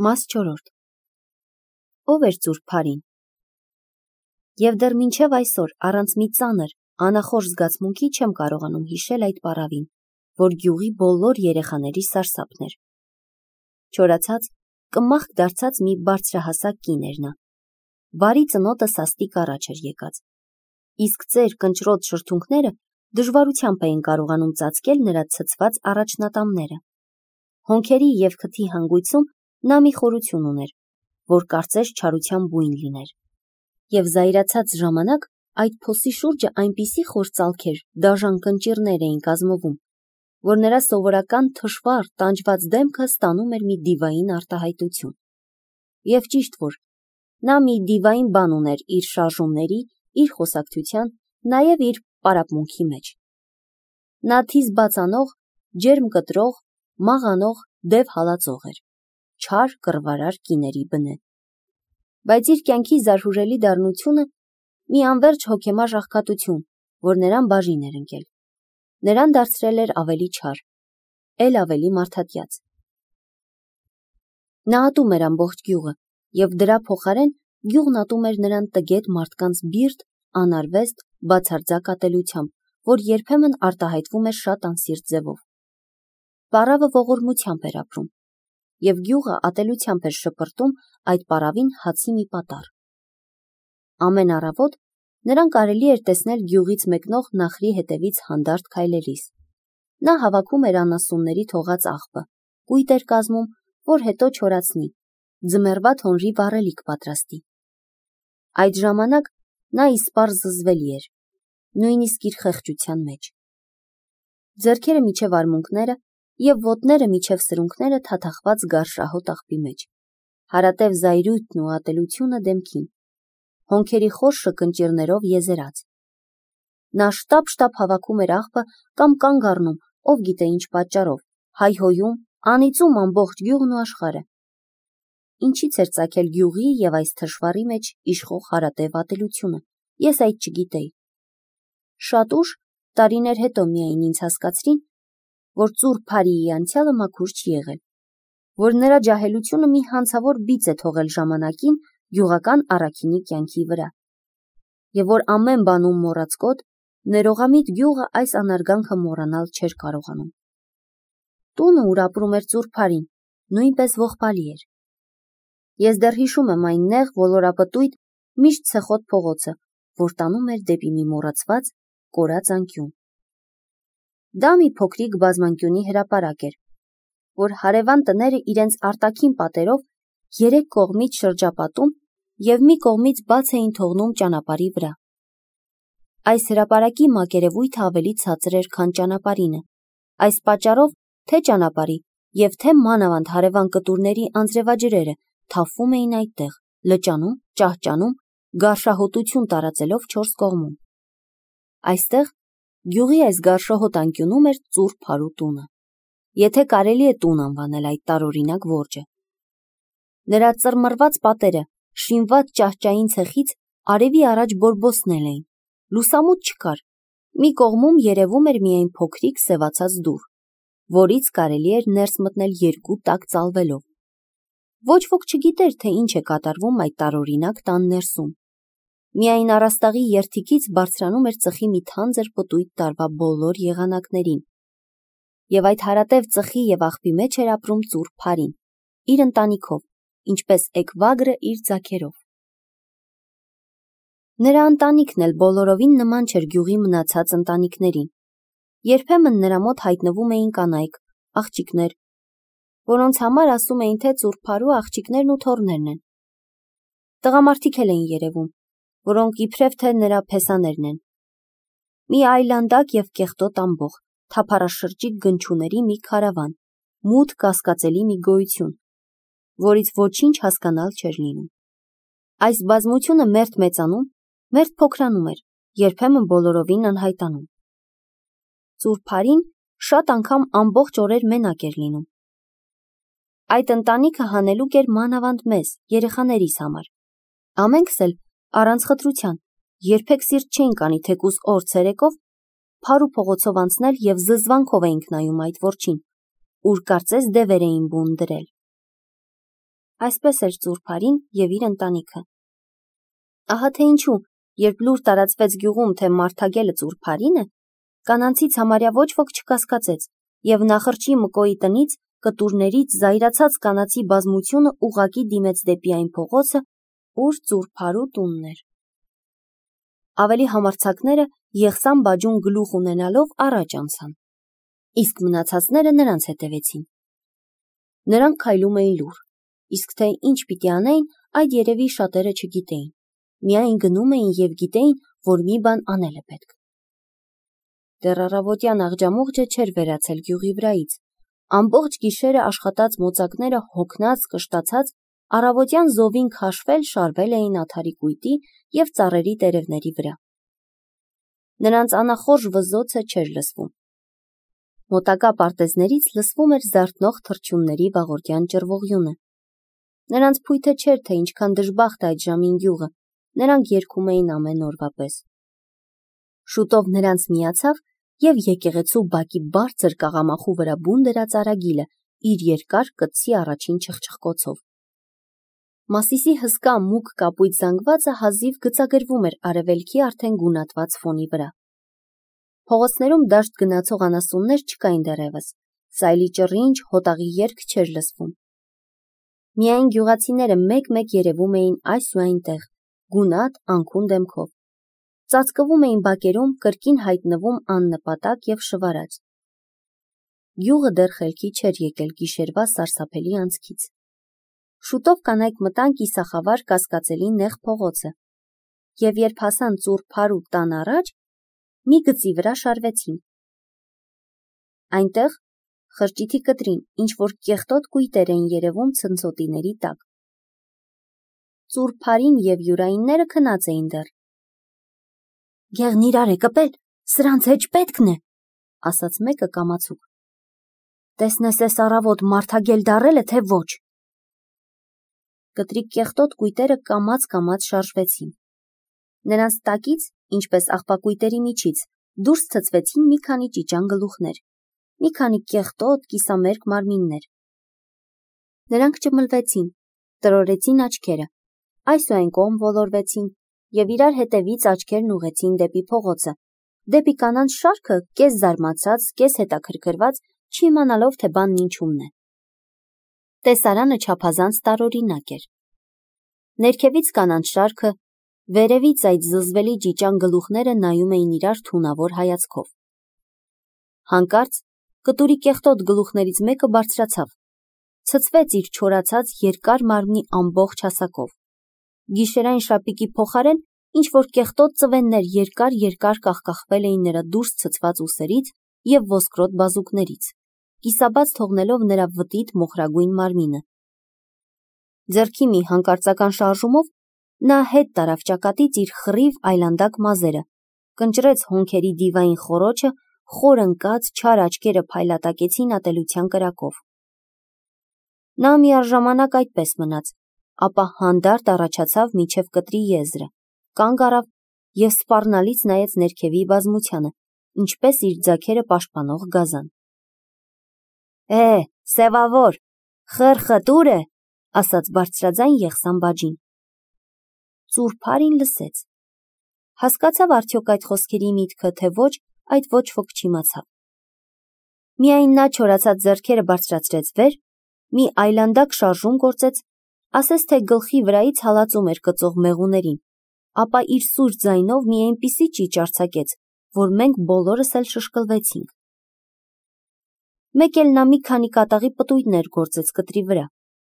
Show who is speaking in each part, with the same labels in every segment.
Speaker 1: Մաս 4 Ով էր Ծուռ Փարին։ Եվ դեռ մինչև այսօր առանց մի ծանր, անախորժ զգացմունքի չեմ կարողանում հիշել այդ պառավին, որ գյուղի բոլոր երեխաների սարսափն էր։ Չորացած, կմախք դարձած մի բարձրահասակ կին էր նա։ Բարի ծնոտը սաստիկ առաջ էր եկած։ Իսկ ծեր կնճռոտ շրթունքները դժվարությամբ էին կարողանում ծածկել նրա ցցված առաջնատամները։ Հոնքերի և քթի հանգույցում նա մի խորություն ուներ, որ կարծես չարության բույն լիներ։ Եվ զայրացած ժամանակ այդ փոսի շուրջը այնպիսի խոր ծալքեր, դաժան կնճիռներ էին կազմվում, որ նրա սովորական թշվառ, տանջված դեմքը ստանում էր մի դիվային արտահայտություն։ Եվ ճիշտ որ, նա մի դիվային բան ուներ իր շարժումների, իր խոսակցության, նաև իր պարապմունքի մեջ։ Նա թիզ բաց անող, ջերմ կտրող, մաղանող, դև հալածող էր, չար կռվարար կիների բնե։ Բայց իր կյանքի զարհուրելի դառնությունը մի անվերջ հոգեմար աղքատություն, որ նրան բաժին էր ընկել, նրան դարձրել էր ավելի չար, էլ ավելի մարդատյաց։ Նա ատում էր ամբողջ գյուղը, և դրա փոխարեն գյուղն ատում էր նրան տգետ մարդկանց բիրտ, անարվեստ, բացարձակ ատելությամբ, որ երբեմն արտահայտվում էր շատ անսիրտ ձևով։ Պառավը ողորմությամբ էր ապրում, և գյուղը ատելությամբ էր շպրտում այդ պառավին հացի մի պատառ։ Ամեն առավոտ նրան կարելի էր տեսնել գյուղից մեկնող նախրի հետևից հանդարտ քայլելիս։ Նա հավաքում էր անասունների թողած աղբը, կույտ էր կազմում, որ հետո չորացնի, ձմեռվա թոնրի վառելիք պատրաստի։ Այդ ժամանակ նա իսպառ զզվելի էր, նույնիսկ իր խեղճության մեջ։ Ձեռքերը միջև արմունկները և ոտները միջև սրունքները թաթախված գարշահոտ աղբի մեջ, հարատև զայրույթն ու ատելությունը դեմքին, հոնքերի խորշը կնճիռներով եզերած։ Նա շտապ հավաքում էր աղբը կամ կանգ առնում, ով գիտե ինչ պատճառով, հայհոյում, անիծում ամբողջ գյուղն ու աշխարհը։ Ինչից էր ծագել գյուղի և այս թշվառի մեջ իշխող հարատև ատելությունը, ես այդ չգիտեի։ Շատ ուշ, տարիներ հետո միայն ինձ հասկացրին, որ Ծուռ Փարիի անցյալը մաքուր չի եղել, որ նրա ջահելությունը մի հանցավոր բիծ է թողել ժամանակին գյուղական առաքինի կյանքի վրա, և որ ամեն բանում մոռացկոտ, ներողամիտ գյուղը այս անարգանքը մոռանալ չէր կարողանում։ Տունը, ուր ապրում էր Ծուռ Փարին, նույնպես ողբալի էր։ Ես դեռ հիշում եմ այն նեղ ոլորապտույտ, միշտ ցեխոտ փողոցը, որ տանում էր դեպի մի մոռացված, կորած անկյուն։ Դա մի փոքրիկ բազմանկյունի հրապարակ էր, որ հարևան տները իրենց արտաքին պատերով երեք կողմից շրջապատում և մի կողմից բաց էին թողնում ճանապարհի վրա։ Այս հրապարակի մակերևույթը ավելի ցածր էր, քան ճանապարհինը, այս պատճառով թե ճանապարհի և թե մանավանդ հարևան կտուրների անձրևաջրերը թափվում էին այդտեղ, լճանում, ճահճանում, գարշահոտություն տարածելով չորս կողմում։ Այստեղ, գյուղի այս գարշահոտ անկյունում էր Ծուռ Փարու տունը, եթե կարելի է տուն անվանել այդ տարօրինակ որջը։ Նրա ծռմռված պատերը, շինված ճահճային ցեխից արևի առաջ բորբոցնել էին, լուսամուտ չկար, մի կողմում երևում էր միայն փոքրիկ սևացած դուռ, որից կարելի էր ներս մտնել երկու տակ ծալվելով։ Ոչ ոք չգիտեր, թե ինչ է կատարվում այդ տարօրինակ տան ներսում։ Միայն առաստաղի երդիքից բարձրանում էր ծխի մի թանձր պտույտ տարվա բոլոր եղանակներին, և այդ հարատև ծխի և աղբի մեջ էր ապրում Ծուռ Փարին, իր ընտանիքով, ինչպես էկվագրը իր ձագերով։ Նրա ընտանիքն էլ բոլորովին նման չէր գյուղի մնացած ընտանիքներին։ Երբեմն նրա մոտ հայտնվում էին կանայք, աղջիկներ, որոնց համար ասում էին, թե Ծուռ Փարու աղջիկներն ու թոռներն են։ Տղամարդիկ էլ էին երևում, որոնք իբրև թե նրա փեսաներն են։ Մի այլանդակ և կեղտոտ ամբոխ, թափառաշրջիկ գնչուների մի քարավան, մութ կասկածելի մի գոյություն, որից ոչինչ հասկանալ չէր լինում։ Այս բազմությունը մերթ մեծանում, մերթ փոքրանում էր, երբեմն բոլորովին անհայտանում։ Ծուռ Փարին շատ անգամ ամբողջ օրեր մենակ էր լինում։ Այդ ընտանիքը հանելուկ էր մանավանդ մեզ, երեխաներիս համար։ Ամենքս էլ, առանց խտրության, երբեք սիրտ չէինք անի թեկուզ օր ցերեկով Փարու փողոցով անցնել և զզվանքով էինք նայում այդ որջին, ուր կարծես դևեր էին բուն դրել։ Այսպես էր Ծուրփարին և իր ընտանիքը։ Ահա թե ինչու, երբ լուր տարածվեց գյուղում, թե Մարթագելը Ծուրփարին է, կանանցից համարյա ոչ ոք չկասկածեց, և նախրջի Մկոյի տնից, կտուրներից զայրացած կանացի բազմությունը ուղղակի դիմեց դեպի այն փողոցը, ուր Ծուրփարու տունն էր։ Ավելի համարձակները եղսան բաջուն գլուխ ունենալով առաջ անցան, իսկ մնացածները նրանց հետևեցին։ Նրանք քայլում էին լուռ, իսկ թե ինչ պիտի անեին, այդ երևի շատերը չգիտեին, միայն գնում էին և գիտեին, որ մի բան անել է պետք։ Դեռ առավոտյան աղջամուղջը չէր վերացել գյուղի վրայից, ամբողջ գիշերը աշխատած մոծակները հոգնած, կշտացած, առավոտյան զովին քաշվել շարվել էին աթարի կույտի և ծառերի տերևների վրա։ Նրանց անախորժ վզոցը չէր լսվում։ Մոտակա պարտեզներից լսվում էր զարթնող թռչունների վաղորդյան ճռվողյունը։ Նրանց փույթը չէր, թե ինչքան դժբախտ է այդ ժամին գյուղը, նրանք երգում էին ամեն օրվա պես։ Շուտով նրանց միացավ և եկեղեցու բակի բարձր կաղամախու վրա բուն դրած Արագիլը իր երկար կտցի առաջին չխչխկոցով։ Մասիսի հսկա մուգ կապույտ զանգվածը հազիվ գծագրվում էր արևելքի արդեն գունատված ֆոնի վրա։ Փողոցներում դաշտ գնացող անասուններ չկային դեռևս, սայլի ճռինչ, հոտաղի երգ չէր լսվում։ Միայն գյուղացիները մեկ-մեկ երևում էին այս ու այնտեղ, գունատ, անքուն դեմքով։ Ծածկվում էին բակերում, կրկին հայտնվում աննպատակ և շվարած։ Գյուղը դեռ խելքի չէր եկել գիշերվա սարսափելի անցքից։ Շուտով կանայք մտան կիսախավար կասկածելի նեղ փողոցը, և երբ հասան Ծուրփարու տան առաջ, մի գծի վրա շարվեցին։ Այնտեղ, խրճիթի կտրին, ինչ-որ կեղտոտ կույտեր էին երևում ցնցոտիների տակ։ Ծուրփարին և յուրայինները քնած էին դեռ։ «Գեղն իրար է կպել, սրանց հետ պետքն է», ասաց մեկը կամացուկ։ «Տեսնես էս առավոտ Մարթագել դառել է, թե ոչ»։ Կտրի կեղտոտ կույտերը կամաց շարժվեցին։ Նրանց տակից, ինչպես աղբակույտերի միջից, դուրս ցցվեցին մի քանի ճիճան գլուխներ, մի քանի կեղտոտ, կիսամերկ մարմիններ։ Նրանք ճմլվեցին, տրորեցին աչքերը, այս ու այն կողմ ոլորվեցին և իրար հետևից աչքերն ուղղեցին դեպի փողոցը, դեպի կանանց շարքը, կես զարմացած, կես հետաքրքրված, չիմանալով, թե բանն ինչումն է։ Տեսարանը չափազանց տարօրինակ էր։ Ներքևից կանանց շարքը, վերևից այդ զզվելի ճիճան գլուխները նայում էին իրար թունավոր հայացքով։ Հանկարծ կտուրի կեղտոտ գլուխներից մեկը բարձրացավ, ցցվեց իր չորացած երկար մարմնի ամբողջ հասակով։ Գիշերային շապիկի փոխարեն ինչ-որ կեղտոտ ծվեններ երկար կախկախվել էին նրա դուրս ցցված ուսերից և ոսկրոտ բազուկներից, կիսաբաց թողնելով նրա վտիտ մոխրագույն մարմինը։ Ձեռքի մի հանկարծական շարժումով նա հետ տարավ ճակատից իր խռիվ այլանդակ մազերը, կնճռեց հոնքերի դիվային խոռոչը, խոր ընկած, չար աչքերը փայլատակեցին ատելության կրակով։ Նա միառժամանակ այդպես մնաց, ապա հանդարտ առաջացավ մինչև կտրի եզրը, կանգ առավ և սպառնալից նայեց ներքևի բազմությանը, ինչպես իր ձագերը պաշտպանող գազան։ Սևավոր, խրխտ ուր է, ասաց բարձրաձայն եղսան բաջին։ Ծուրփարին լսեց։ Հասկացավ արդյոք այդ խոսքերի միտքը, թե ոչ, այդ ոչ ոք չիմացավ։ Միայն նա չորացած ձեռքերը բարձրացրեց վեր, մի այլանդակ շարժում գործեց, ասես թե գլխի վրայից հալածում էր կծող մեղուներին, ապա իր սուր ձայնով մի այնպիսի ճիչ արձակեց, որ մենք բոլորս էլ շշկլվեցինք։ Մեկ էլ նա մի քանի կատաղի պտույտներ գործեց կտրի վրա,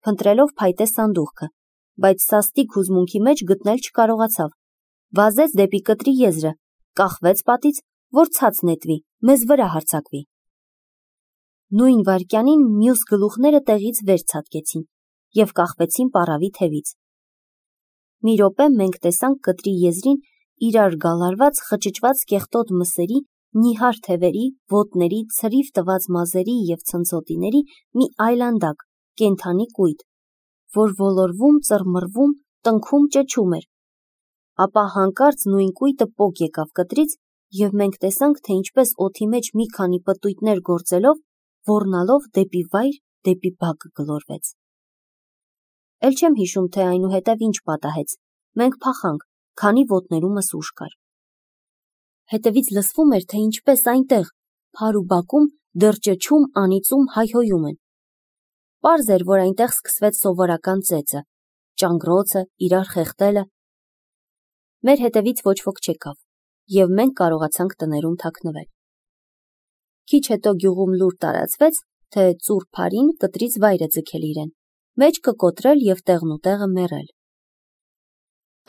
Speaker 1: փնտրելով փայտե սանդուղքը, բայց սաստիկ հուզմունքի մեջ գտնել չկարողացավ, վազեց դեպի կտրի եզրը, կախվեց պատից, որ ցած նետվի, մեզ վրա հարձակվի։ Նույն վայրկյանին մյուս գլուխները տեղից վեր ցատկեցին և կախվեցին պառավի թևից։ Մի րոպե մենք տեսանք կտրի եզրին իրար գալարված, խճճված կեղտոտ մսերի, նիհար թևերի, ոտների, ցրիվ տված մազերի և ցնցոտիների մի այլանդակ, կենդանի կույտ, որ ոլորվում, ծռմռվում, տնքում, ճչում էր։ Ապա հանկարծ նույն կույտը պոկ եկավ կտրից, և մենք տեսանք, թե ինչպես օդի մեջ մի քանի պտույտներ գործելով, ոռնալով դեպի վայր, դեպի բակ գլորվեց։ Էլ չեմ հիշում, թե այնուհետև ինչ պատահեց, մենք փախանք, քանի ոտներումս ուժ կար։ Հետևից լսվում էր, թե ինչպես այնտեղ, փար ու բակում, դեռ ճչում, անիծում, հայհոյում են։ Պարզ էր, որ այնտեղ սկսվեց սովորական ծեծը, ճանգռոցը, իրար խեղդելը։ Մեր հետևից ոչ ոք չեկավ, և մենք կարողացանք տներում թաքնվել։ Քիչ հետո գյուղում լուր տարածվեց, թե ծուռ փարին կտրից վայր է ձգել իրեն, մեջքը կոտրել և տեղնուտեղը մեռել։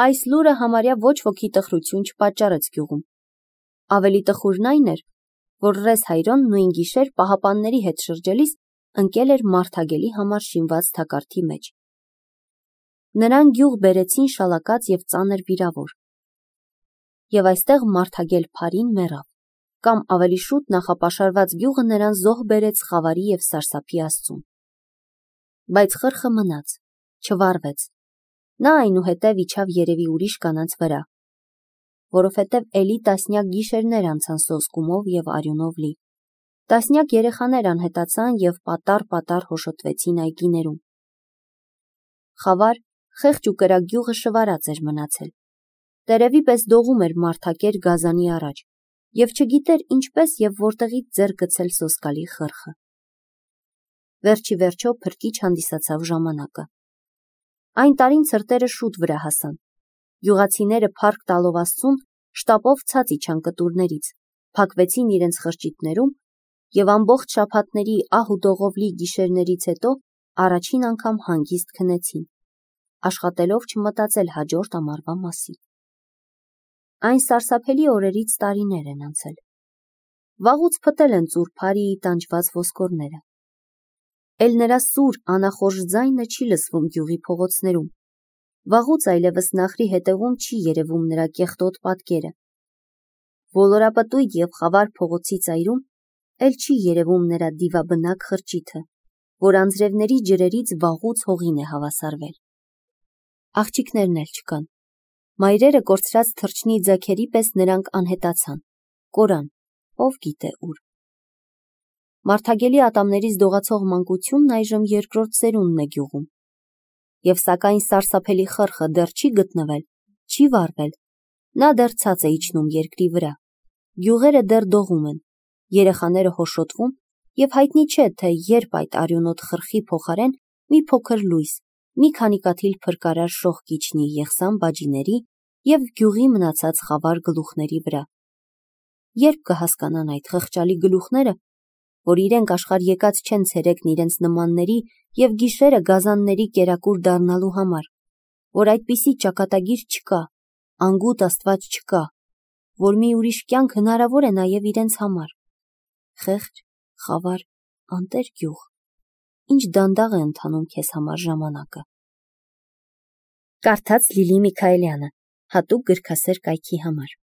Speaker 1: Այս լուրը համարյա ոչ ոքի տխրություն չպատճառեց գյուղում։ Ավելի տխուրն այն էր, որ Ռես Հայրոն նույն գիշեր պահապանների հետ շրջելիս ընկել էր Մարդագելի համար շինված թակարդի մեջ։ Նրան գյուղ բերեցին շալակած և ծանր վիրավոր։ Եվ այստեղ Մարդագել Փարին մեռավ, կամ ավելի շուտ նախապաշարված գյուղը նրան զոհ բերեց խավարի և սարսափի աստծուն։ Բայց խրխը մնաց, չվառվեց։ Նա այնուհետև իջավ երևի ուրիշ կանանց վրա, որովհետև էլի տասնյակ գիշերներ անցան սոսկումով և արյունով լի։ Տասնյակ երեխաներ անհետացան և պատառ-պատառ հոշոտվեցին այգիներում։ Խավար, խեղճ ու կրակ գյուղը շվարած էր մնացել։ Տերևի պես դողում էր մարդակեր գազանի առաջ և չգիտեր ինչպես և որտեղից ձեռք գցել սոսկալի խրխը։ Վերջի վերջո փրկիչ հանդիսացավ ժամանակը։ Այն տարին ցրտերը շուտ վրա հասան։ Գյուղացիները փառք տալով Աստծուն շտապով ցած իջան կտուրներից, փակվեցին իրենց խրճիթներում և ամբողջ շաբաթների ահ ու դողով լի գիշերներից հետո առաջին անգամ հանգիստ քնեցին, աշխատելով չմտածել հաջորդ ամառվա մասին։ Այն սարսափելի օրերից տարիներ են անցել։ Վաղուց փտել են ծուռ փարի տանջված ոսկորները։ Էլ նրա սուր, անախորժ ձայնը չի լսվում գյուղի փողոցներում։ Վաղուց այլևս նախրի հետևում չի երևում նրա կեղտոտ պատկերը։ Ոլորապտույտ և խավար փողոցի ծայրում էլ չի երևում նրա դիվաբնակ խրճիթը, որ անձրևների ջրերից վաղուց հողին է հավասարվել։ Աղջիկներն էլ չկան։ Մայրերը կորցրած թռչնի ձագերի պես նրանք անհետացան, կորան, ով գիտե ուր։ Մարդագելի ատամներից դողացող մանկությունն այժմ երկրորդ սերունդն է գյուղում։ Եվ սակայն սարսափելի խրխը դեռ չի գտնվել, չի վառվել, նա դեռ ցած է իջնում երկրի վրա, գյուղերը դեռ դողում են, երեխաները հոշոտվում և հայտնի չէ, թե երբ այդ արյունոտ խրխի փոխարեն մի փոքր լույս, մի քանի կաթիլ փրկարար շող կիջնի Եղսան բաջիների և գյուղի մնացած խավար գլուխների վրա։ Երբ կհասկանան այդ խղճալի գլուխները, որ իրենք աշխարհ եկած չեն ցերեկն իրենց նմանների և գիշերը գազանների կերակուր դառնալու համար, որ այդպիսի ճակատագիր չկա, անգութ Աստված չկա, որ մի ուրիշ կյանք հնարավոր է նաև իրենց համար։ Խեղճ, խավար, անտեր գյուղ, ինչ դանդաղ է ընթանում քեզ համար ժամանակը։ Կարդաց Լիլի Միքայելյանը, հատուկ գրքասեր կայքի համար։